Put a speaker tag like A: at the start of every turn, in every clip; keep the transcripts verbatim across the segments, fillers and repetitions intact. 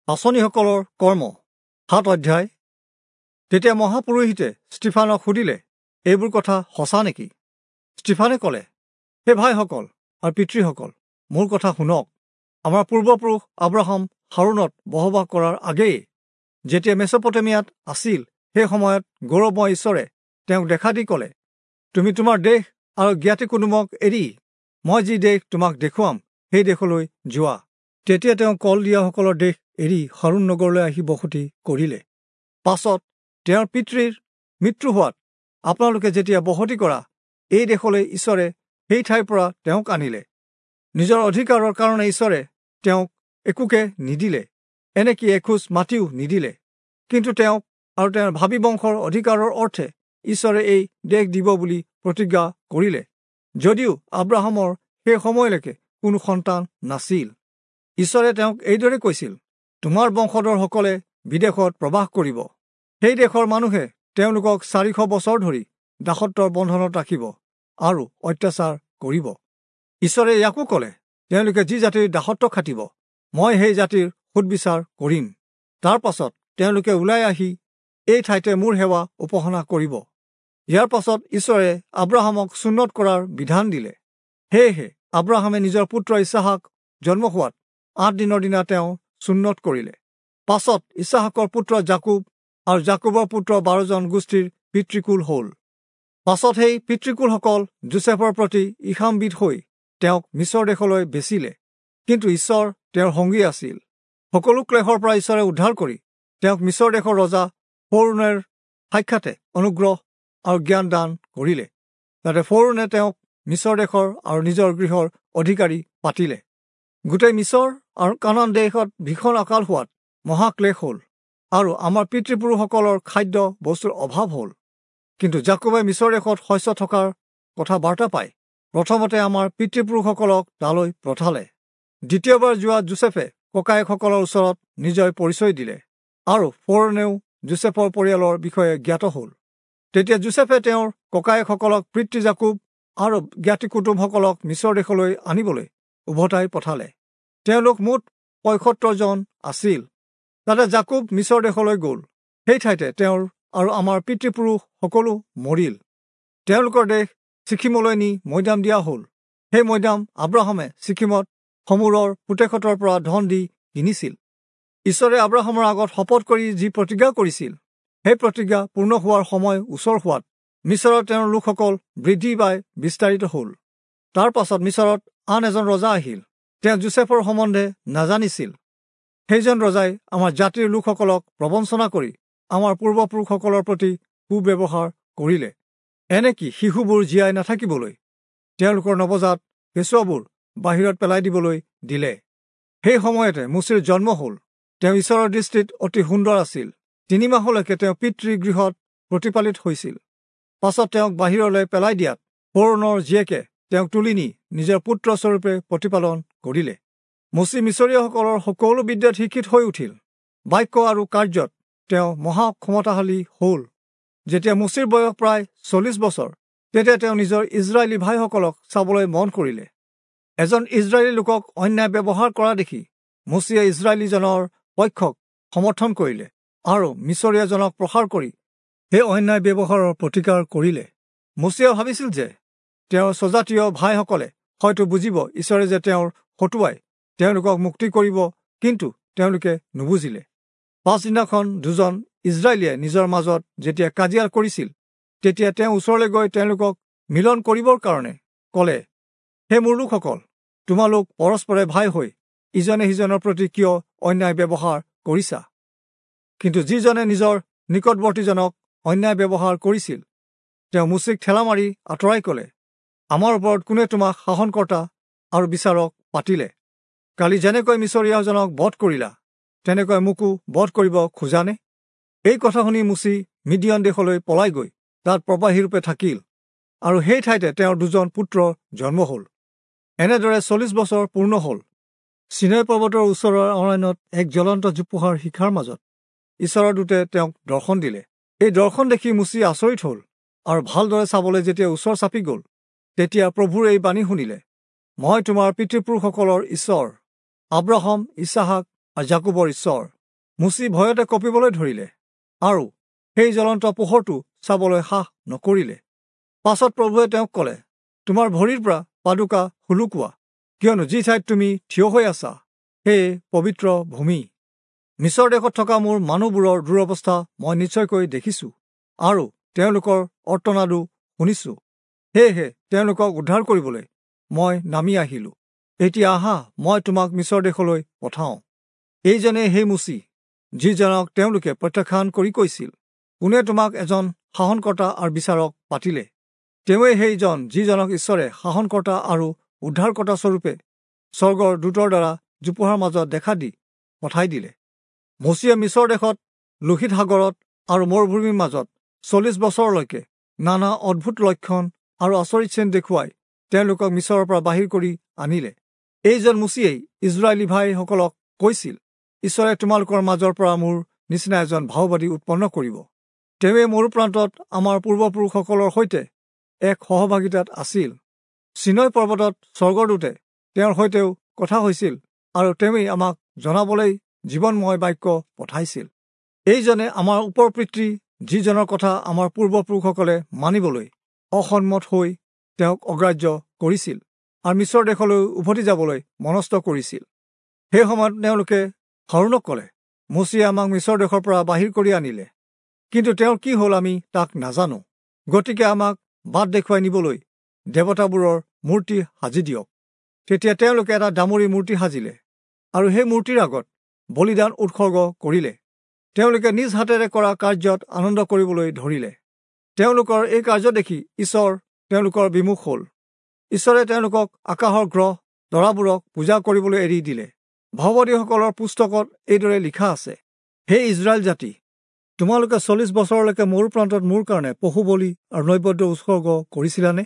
A: পাঁচনিসকলৰ কৰ্ম সাত অধ্যায়। তেতিয়া মহাপুৰোহিতে ষ্টিফানক সুধিলে, এইবোৰ কথা সঁচা নেকি? ষ্টিফানে ক'লে, হে ভাইসকল আৰু পিতৃসকল, মোৰ কথা শুনক। আমাৰ পূৰ্বপুৰুষ আব্ৰাহাম হাৰোণত বসবাস কৰাৰ আগেয়ে যেতিয়া মেছপটেমিয়াত আছিল, সেই সময়ত গৌৰৱময় ঈশ্বৰে তেওঁক দেখা দি ক'লে, তুমি তোমাৰ দেশ আৰু জ্ঞাতি কুটুমক এৰি মই যি দেশ তোমাক দেখুৱাম সেই দেশলৈ যোৱা। তেতিয়া তেওঁ কল দিয়াসকলৰ দেশ এৰি হাৰোণ নগৰলৈ আহি বসতি কৰিলে। পাছত তেওঁৰ পিতৃৰ মৃত্যু হোৱাত আপোনালোকে যেতিয়া বসতি কৰা এই দেশলৈ ঈশ্বৰে সেই ঠাইৰ পৰা তেওঁক আনিলে। নিজৰ অধিকাৰৰ কাৰণে ঈশ্বৰে তেওঁক একোকে নিদিলে, এনেকি এখোজ মাটিও নিদিলে। কিন্তু তেওঁক আৰু তেওঁৰ ভাবী বংশৰ অধিকাৰৰ অৰ্থে ঈশ্বৰে এই দেশ দিব বুলি প্ৰতিজ্ঞা কৰিলে, যদিও আব্ৰাহামৰ সেই সময়লৈকে কোনো সন্তান নাছিল। ঈশ্বৰে তেওঁক এইদৰে কৈছিল, তোমাৰ বংশধৰসকলে বিদেশত প্ৰবাস কৰিব, সেই দেশৰ মানুহে তেওঁলোকক চাৰিশ বছৰ ধৰি দাসত্বৰ বন্ধনত ৰাখিব আৰু অত্যাচাৰ কৰিব। ঈশ্বৰে ইয়াকো ক'লে, তেওঁলোকে যি জাতিৰ দাসত্ব খাটিব, মই সেই জাতিৰ সুদবিচাৰ কৰিম। তাৰ পাছত তেওঁলোকে ওলাই আহি এই ঠাইতে মোৰ সেৱা উপাসনা কৰিব। ইয়াৰ পাছত ঈশ্বৰে আব্ৰাহামক চুন্নত কৰাৰ বিধান দিলে। সেয়েহে আব্ৰাহামে নিজৰ পুত্ৰ ইছহাক জন্ম হোৱাত আঠ দিনৰ দিনা তেওঁ চুন্নত কৰিলে। পাছত ইছহাকৰ পুত্ৰ যাকুব আৰু যাকুবৰ পুত্ৰ বাৰজন গোষ্ঠীৰ পিতৃকুল হ'ল। পাছত সেই পিতৃকুলসকল যোচেফৰ প্ৰতি ঈশামবিদ হৈ তেওঁক মিছৰ দেশলৈ বেচিলে। কিন্তু ঈশ্বৰ তেওঁৰ সংগী আছিল। সকলো ক্লেশৰ পৰা ঈশ্বৰে উদ্ধাৰ কৰি তেওঁক মিছৰ দেশৰ ৰজা ফৌৰণৰ সাক্ষাতে অনুগ্ৰহ আৰু জ্ঞান দান কৰিলে। তাতে ফৌৰণে তেওঁক মিছৰ দেশৰ আৰু নিজৰ গৃহৰ অধিকাৰী পাতিলে। গোটেই মিছৰ আৰু কানান দেশত ভীষণ আকাল হোৱাত মহাক্লেশ হ'ল আৰু আমাৰ পিতৃপুৰুষসকলৰ খাদ্য বস্তুৰ অভাৱ হ'ল। কিন্তু যাকোবে মিছৰ দেশত শস্য থকাৰ কথা বাৰ্তা পাই প্ৰথমতে আমাৰ পিতৃপুৰুষসকলক তালৈ পঠালে। দ্বিতীয়বাৰ যোৱা যোচেফে ককায়েকসকলৰ ওচৰত নিজে পৰিচয় দিলে আৰু ফৌৰণেও যোচেফৰ পৰিয়ালৰ বিষয়ে জ্ঞাত হ'ল। তেতিয়া যোচেফে তেওঁৰ ককায়েকসকলক পিতৃ যাকুব আৰু জ্ঞাতি কুটুমসকলক মিছৰ দেশলৈ আনিবলৈ উভতাই পঠালে। তেওঁলোক মুঠ পঁয়সত্তৰজন আছিল। তাতে যাকুব মিছৰ দেশলৈ গ'ল। সেই ঠাইতে তেওঁৰ আৰু আমাৰ পিতৃপুৰুষ সকলো মৰিল। তেওঁলোকৰ দেশ ছিখিমলৈ নি মৈদাম দিয়া হ'ল। সেই মৈদাম আব্ৰাহামে ছিখিমত সমুৰৰ পুতেকহঁতৰ পৰা ধন দি কিনিছিল। ঈশ্বৰে আব্ৰাহামৰ আগত শপত কৰি যি প্ৰতিজ্ঞা কৰিছিল, সেই প্ৰতিজ্ঞা পূৰ্ণ হোৱাৰ সময় ওচৰ হোৱাত মিছৰত তেওঁৰ লোকসকল বৃদ্ধি পাই বিস্তাৰিত হ'ল। তাৰ পাছত মিছৰত আন এজন ৰজা আহিল। তেওঁ যোচেফৰ সম্বন্ধে নাজানিছিল। সেইজন ৰজাই আমাৰ জাতিৰ লোকসকলক প্ৰবঞ্চনা কৰি আমাৰ পূৰ্বপুৰুষসকলৰ প্ৰতি কুব্যৱহাৰ কৰিলে। এনেকি শিশুবোৰ জীয়াই নাথাকিবলৈ তেওঁলোকৰ নৱজাত কেঁচুৱাবোৰ বাহিৰত পেলাই দিবলৈ দিলে। সেই সময়তে মোচিৰ জন্ম হ'ল। তেওঁ ঈশ্বৰৰ দৃষ্টিত অতি সুন্দৰ আছিল। তিনিমাহলৈকে তেওঁ পিতৃগৃহত প্ৰতিপালিত হৈছিল। পাছত তেওঁক বাহিৰলৈ পেলাই দিয়াত ফৌৰণৰ জীয়েকে তেওঁক তুলি নি নিজৰ পুত্ৰস্বৰূপে প্ৰতিপালন কৰিলে। মোচি মিছৰীয়াসকলৰ সকলো বিদ্যাত শিক্ষিত হৈ উঠিল। বাক্য আৰু কাৰ্যত তেওঁ মহা ক্ষমতাশালী হ'ল। যেতিয়া মোচিৰ বয়স প্ৰায় চল্লিছ বছৰ, তেতিয়া তেওঁ নিজৰ ইজৰাইলী ভাইসকলক চাবলৈ মন কৰিলে। এজন ইজৰাইলী লোকক অন্যায় ব্যৱহাৰ কৰা দেখি মোচিয়ে ইজৰাইলীজনৰ পক্ষক সমৰ্থন কৰিলে আৰু মিছৰীয়াজনক প্ৰসাৰ কৰি সেই অন্যায় ব্যৱহাৰৰ প্ৰতিকাৰ কৰিলে। মোচিয়ে ভাবিছিল যে তেওঁৰ স্বজাতীয় ভাইসকলে হয়তো বুজিব ঈশ্বৰে যে তেওঁৰ হতুৱাই তেওঁলোকক মুক্তি কৰিব, কিন্তু তেওঁলোকে নুবুজিলে। পাছদিনাখন দুজন ইজৰাইলীয়ে নিজৰ মাজত যেতিয়া কাজিয়া কৰিছিল, তেতিয়া তেওঁ ওচৰলৈ গৈ তেওঁলোকক মিলন কৰিবৰ কাৰণে ক'লে, হে মোৰ লোকসকল, তোমালোক পৰস্পৰে ভাই হৈ ইজনে সিজনৰ প্ৰতি কিয় অন্যায় ব্যৱহাৰ কৰিছা? কিন্তু যিজনে নিজৰ নিকটৱৰ্তীজনক অন্যায় ব্যৱহাৰ কৰিছিল, তেওঁ মোচিক ঠেলা মাৰি আঁতৰাই ক'লে, আমাৰ ওপৰত কোনে তোমাক শাসনকৰ্তা আৰু বিচাৰক পাতিলে? কালি যেনেকৈ মিছৰীয়াজনক বধ কৰিলা, তেনেকৈ মোকো বধ কৰিব খোজানে? এই কথা শুনি মোচি মিদিয়ন দেশলৈ পলাই গৈ তাত প্ৰবাহীৰূপে থাকিল আৰু সেই ঠাইতে তেওঁৰ দুজন পুত্ৰৰ জন্ম হ'ল। এনেদৰে চল্লিছ বছৰ পূৰ্ণ হ'ল। চিনৈ পৰ্বতৰ ওচৰৰ অৰণ্যত এক জ্বলন্ত জোপোহাৰ শিখাৰ মাজত ঈশ্বৰৰ দূতে তেওঁক দৰ্শন দিলে। এই দৰ্শন দেখি মোচি আচৰিত হ'ল আৰু ভালদৰে চাবলৈ যেতিয়া ওচৰ চাপি গ'ল, তেতিয়া প্ৰভুৰ এই বাণী শুনিলে, মই তোমাৰ পিতৃপুৰুষসকলৰ ঈশ্বৰ, আব্ৰাহাম, ইছহাক আৰু যাকুবৰ ঈশ্বৰ। মোচি ভয়তে কঁপিবলৈ ধৰিলে আৰু সেই জ্বলন্ত পোহৰটো চাবলৈ সাহ নকৰিলে। পাছত প্ৰভুৱে তেওঁক ক'লে, তোমাৰ ভৰিৰ পৰা পাদুকা সুলুকোৱা, কিয়নো যি ঠাইত তুমি থিয় হৈ আছা সেয়ে পবিত্ৰ ভূমি। মিছৰ দেশত থকা মোৰ মানুহবোৰৰ দুৰৱস্থা মই নিশ্চয়কৈ দেখিছোঁ আৰু তেওঁলোকৰ অৰ্তনাদো শুনিছোঁ। সেয়েহে তেওঁলোকক উদ্ধাৰ কৰিবলৈ মই নামি আহিলোঁ। এতিয়া আহা, মই তোমাক মিছৰ দেশলৈ পঠাওঁ। এইজনে সেই মোচি, যিজনক তেওঁলোকে প্ৰত্যাখ্যান কৰি কৈছিল, কোনে তোমাক এজন শাসনকৰ্তা আৰু বিচাৰক পাতিলে? তেওঁৱেই সেইজন যিজনক ঈশ্বৰে শাসনকৰ্তা আৰু উদ্ধাৰকৰ্তা স্বৰূপে স্বৰ্গৰ দূতৰ দ্বাৰা জোপোহাৰ মাজত দেখা দি পঠাই দিলে। মোচিয়ে মিছৰ দেশত, লোহিত সাগৰত আৰু মৰুভূমিৰ মাজত চল্লিছ বছৰলৈকে নানা অদ্ভুত লক্ষণ আৰু আচৰিত চিন দেখুৱাই তেওঁলোকক মিছৰৰ পৰা বাহিৰ কৰি আনিলে। এইজন মোচিয়েই ইজৰাইলী ভাইসকলক কৈছিল, ঈশ্বৰে তোমালোকৰ মাজৰ পৰা মোৰ নিচিনা এজন ভাওবাদী উৎপন্ন কৰিব। তেওঁৱে মৰুপ্ৰান্তত আমাৰ পূৰ্বপুৰুষসকলৰ সৈতে এক সহভাগিতাত আছিল। চিনয় পৰ্বতত স্বৰ্গদূতে তেওঁৰ সৈতেও কথা হৈছিল আৰু তেওঁৱেই আমাক জনাবলৈ জীৱনময় বাক্য পঠাইছিল। এইজনে আমাৰ ওপৰ পিতৃ, যিজনৰ কথা আমাৰ পূৰ্বপুৰুষসকলে মানিবলৈ অসন্মত হৈ তেওঁক অগ্ৰাহ্য কৰিছিল আৰু মিছৰ দেশলৈ উভতি যাবলৈ মনস্থ কৰিছিল। সেই সময়ত তেওঁলোকে হাৰোণক ক'লে, মোচিয়ে আমাক মিছৰ দেশৰ পৰা বাহিৰ কৰি আনিলে, কিন্তু তেওঁৰ কি হ'ল আমি তাক নাজানো। গতিকে আমাক বাট দেখুৱাই নিবলৈ দেৱতাবোৰৰ মূৰ্তি সাজি দিয়ক। তেতিয়া তেওঁলোকে এটা দামুৰি মূৰ্তি সাজিলে আৰু সেই মূৰ্তিৰ আগত বলিদান উৎসৰ্গ কৰিলে। তেওঁলোকে নিজ হাতেৰে কৰা কাৰ্যত আনন্দ কৰিবলৈ ধৰিলে। তেওঁলোকৰ এই কাৰ্য দেখি ঈশ্বৰ তেওঁলোকৰ বিমুখ হ'ল। ঈশ্বৰে তেওঁলোকক আকাশৰ গ্ৰহ তৰাবোৰক পূজা কৰিবলৈ এৰি দিলে। ভাওবাদীসকলৰ পুস্তকত এইদৰে লিখা আছে, হে ইজৰাইল জাতি, তোমালোকে চল্লিছ বছৰলৈকে মৰু প্ৰান্তত মোৰ কাৰণে পশু বলি আৰু নৈবেদ্য উৎসৰ্গ কৰিছিলানে?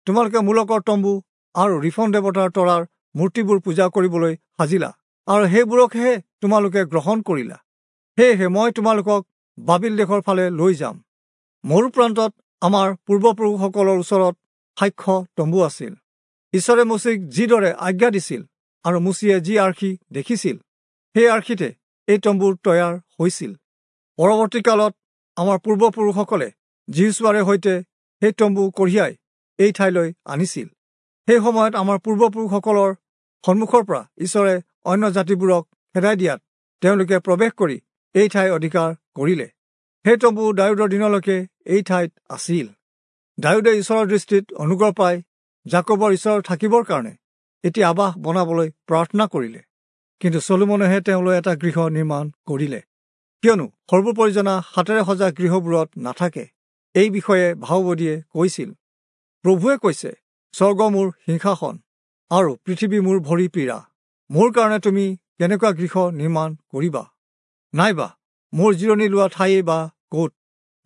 A: তোমালোকে মোলকৰ তম্বু আৰু ৰিফন দেৱতাৰ তৰাৰ মূৰ্তিবোৰ পূজা কৰিবলৈ সাজিলা আৰু সেইবোৰকহে তোমালোকে গ্ৰহণ কৰিলা। সেয়েহে মই তোমালোকক বাবিল দেশৰ ফালে লৈ যাম। মৰু প্ৰান্তত আমাৰ পূৰ্বপুৰুষসকলৰ ওচৰত সাক্ষ্য তম্বু আছিল। ঈশ্বৰে মোচিক যিদৰে আজ্ঞা দিছিল আৰু মোচিয়ে যি আৰ্হি দেখিছিল, সেই আৰ্হিতে এই তম্বুৰ তৈয়াৰ হৈছিল। পৰৱৰ্তী কালত আমাৰ পূৰ্বপুৰুষসকলে যিহোচূৱাৰে সৈতে সেই তম্বু কঢ়িয়াই এই ঠাইলৈ আনিছিল। সেই সময়ত আমাৰ পূৰ্বপুৰুষসকলৰ সন্মুখৰ পৰা ঈশ্বৰে অন্য জাতিবোৰক খেদাই দিয়াত তেওঁলোকে প্ৰৱেশ কৰি এই ঠাই অধিকাৰ কৰিলে। সেই তম্বু দায়ূদৰ দিনলৈকে এই ঠাইত আছিল। দায়ূদে ঈশ্বৰৰ দৃষ্টিত অনুগ্ৰহ পাই যাকোবৰ ঈশ্বৰ থাকিবৰ কাৰণে এটি আৱাস বনাবলৈ প্ৰাৰ্থনা কৰিলে, কিন্তু চলোমনেহে তেওঁলৈ এটা গৃহ নিৰ্মাণ কৰিলে। কিয়নো সৰ্বোপৰিজনা হাতেৰে সজা গৃহবোৰত নাথাকে। এই বিষয়ে ভাওবাদীয়ে কৈছিল, প্ৰভুৱে কৈছে, স্বৰ্গ মোৰ সিংহাসন আৰু পৃথিৱী মোৰ ভৰি পীৰা। মোৰ কাৰণে তুমি কেনেকুৱা গৃহ নিৰ্মাণ কৰিবা? নাইবা মোৰ জিৰণি লোৱা ঠাইয়ে বা ক'ত?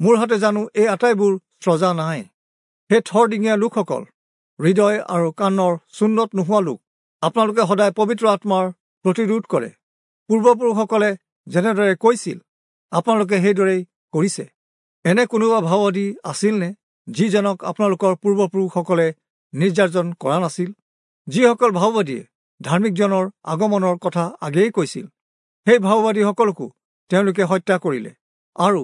A: মোৰ হাতে জানো এই আটাইবোৰ স্ৰজা নাই? হে থৰডিঙীয়া লোকসকল, হৃদয় আৰু কাণৰ চুন্নত নোহোৱা লোক, আপোনালোকে সদায় পবিত্ৰ আত্মাৰ প্ৰতিৰোধ কৰে। পূৰ্বপুৰুষসকলে যেনেদৰে কৈছিল, আপোনালোকে সেইদৰেই কৰিছে। এনে কোনোবা ভাওবাদী আছিলনে যিজনক আপোনালোকৰ পূৰ্বপুৰুষসকলে নিৰ্যাতন কৰা নাছিল? যিসকল ভাওবাদীয়ে ধাৰ্মিকজনৰ আগমনৰ কথা আগেয়ে কৈছিল, সেই ভাওবাদীসকলকো তেওঁলোকে হত্যা কৰিলে আৰু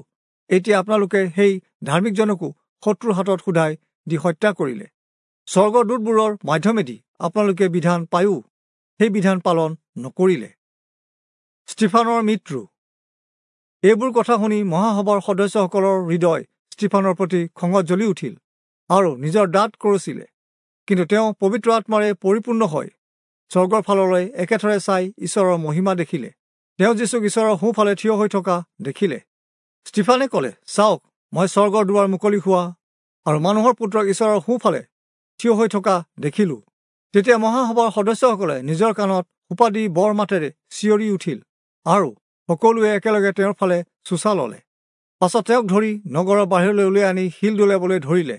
A: এতিয়া আপোনালোকে সেই ধাৰ্মিকজনকো শত্ৰুৰ হাতত সোধাই দি হত্যা কৰিলে। স্বৰ্গদূতবোৰৰ মাধ্যমেদি আপোনালোকে বিধান পায়ো সেই বিধান পালন নকৰিলে। ষ্টিফানৰ মৃত্যু। এইবোৰ কথা শুনি মহাসভাৰ সদস্যসকলৰ হৃদয় ষ্টিফানৰ প্ৰতি খঙত জ্বলি উঠিল আৰু নিজৰ দাঁত কৰচিলে। কিন্তু তেওঁ পবিত্ৰ আত্মাৰে পৰিপূৰ্ণ হৈ স্বৰ্গৰ ফাললৈ একেথৰে চাই ঈশ্বৰৰ মহিমা দেখিলে। তেওঁ যীচুক ঈশ্বৰৰ সোঁফালে থিয় হৈ থকা দেখিলে। ষ্টিফানে ক'লে, চাওক, মই স্বৰ্গৰ দুৱাৰ মুকলি হোৱা আৰু মানুহৰ পুত্ৰক ঈশ্বৰৰ সোঁফালে থিয় হৈ থকা দেখিলোঁ। তেতিয়া মহাসভাৰ সদস্যসকলে নিজৰ কাণত সোপা দি বৰ মাতেৰে চিঞৰি উঠিল আৰু সকলোৱে একেলগে তেওঁৰ ফালে চোঁচা ল'লে। পাছত তেওঁক ধৰি নগৰৰ বাহিৰলৈ উলিয়াই আনি শিল দলিয়াবলৈ ধৰিলে।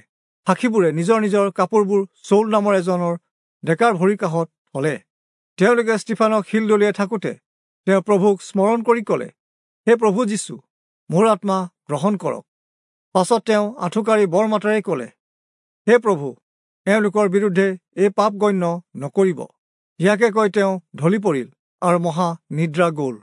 A: সাক্ষীবোৰে নিজৰ নিজৰ কাপোৰবোৰ চৌল নামৰ এজনৰ ডেকাৰ ভৰিৰ কাষত থলে। তেওঁলোকে ষ্টিফানক শিল দলিয়াই থাকোঁতে তেওঁ প্ৰভুক স্মৰণ কৰি ক'লে, হে প্ৰভু যীচু, মোৰ আত্মা গ্ৰহণ কৰক। পাছত তেওঁ আঁঠুকাঢ়ি বৰ মাতেৰে ক'লে, হে প্ৰভু, এওঁলোকৰ বিৰুদ্ধে এই পাপ গণ্য নকৰিব। ইয়াকে কৈ তেওঁ ঢলি পৰিল আৰু মহা নিদ্ৰা গ'ল।